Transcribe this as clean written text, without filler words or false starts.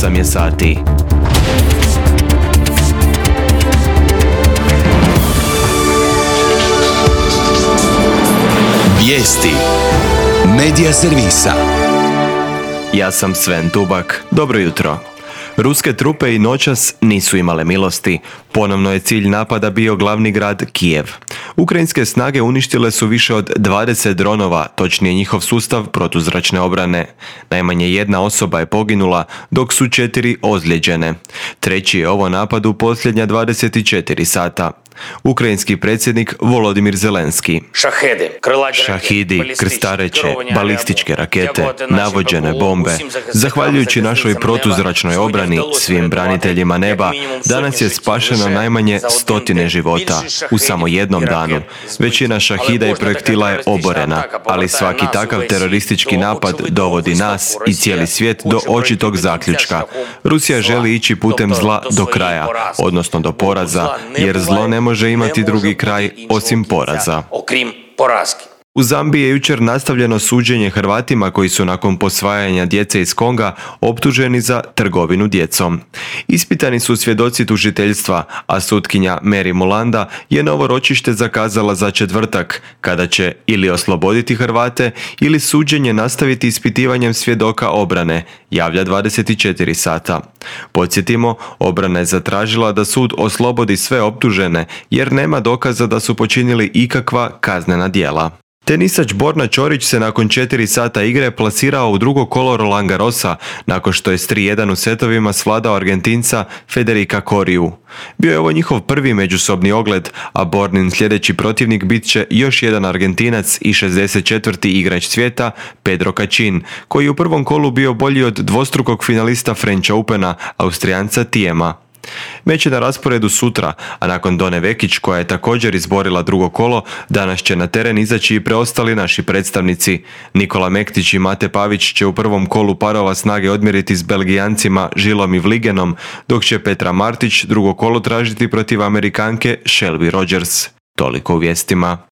8 je sati. Vijesti Medija servisa. Ja sam Sven Dubak. Dobro jutro. Ruske trupe i noćas nisu imale milosti. Ponovno je cilj napada bio glavni grad Kijev. Ukrajinske snage uništile su više od 20 dronova, točnije njihov sustav protuzračne obrane. Najmanje jedna osoba je poginula, dok su 4 ozlijeđene. Treći je ovo napad u posljednja 24 sata. Ukrajinski predsjednik Volodimir Zelenski. Šahidi, krstareće, balističke rakete, navođene bombe. Zahvaljujući našoj protuzračnoj obrani, svim braniteljima neba, danas je spašeno najmanje 100 života u samo jednom danu. Većina šahida i projektila je oborena, ali svaki takav teroristički napad dovodi nas i cijeli svijet do očitog zaključka. Rusija želi ići putem zla do kraja, odnosno do poraza, jer zlo ne može imati drugi kraj osim poraza. U Zambiji je jučer nastavljeno suđenje Hrvatima koji su nakon posvajanja djece iz Konga optuženi za trgovinu djecom. Ispitani su svjedoci tužiteljstva, a sutkinja Mary Mulanda je novo ročište zakazala za četvrtak, kada će ili osloboditi Hrvate ili suđenje nastaviti ispitivanjem svjedoka obrane, javlja 24 sata. Podsjetimo, obrana je zatražila da sud oslobodi sve optužene jer nema dokaza da su počinili ikakva kaznena djela. Tenisač Borna Ćorić se nakon 4 sata igre plasirao u drugo kolo Roland Garrosa nakon što je s 3-1 u setovima svladao Argentinca Federica Coriju. Bio je ovo njihov prvi međusobni ogled, a Bornin sljedeći protivnik bit će još jedan Argentinac i 64. igrač svijeta Pedro Cachin, koji je u prvom kolu bio bolji od dvostrukog finalista French Opena, Austrijanca Thiema. Meč je na rasporedu sutra, a nakon Done Vekić, koja je također izborila drugo kolo, danas će na teren izaći i preostali naši predstavnici. Nikola Mektić i Mate Pavić će u prvom kolu parova snage odmjeriti s Belgijancima Žilom i Vligenom, dok će Petra Martić drugo kolo tražiti protiv Amerikanke Shelby Rogers. Toliko u vijestima.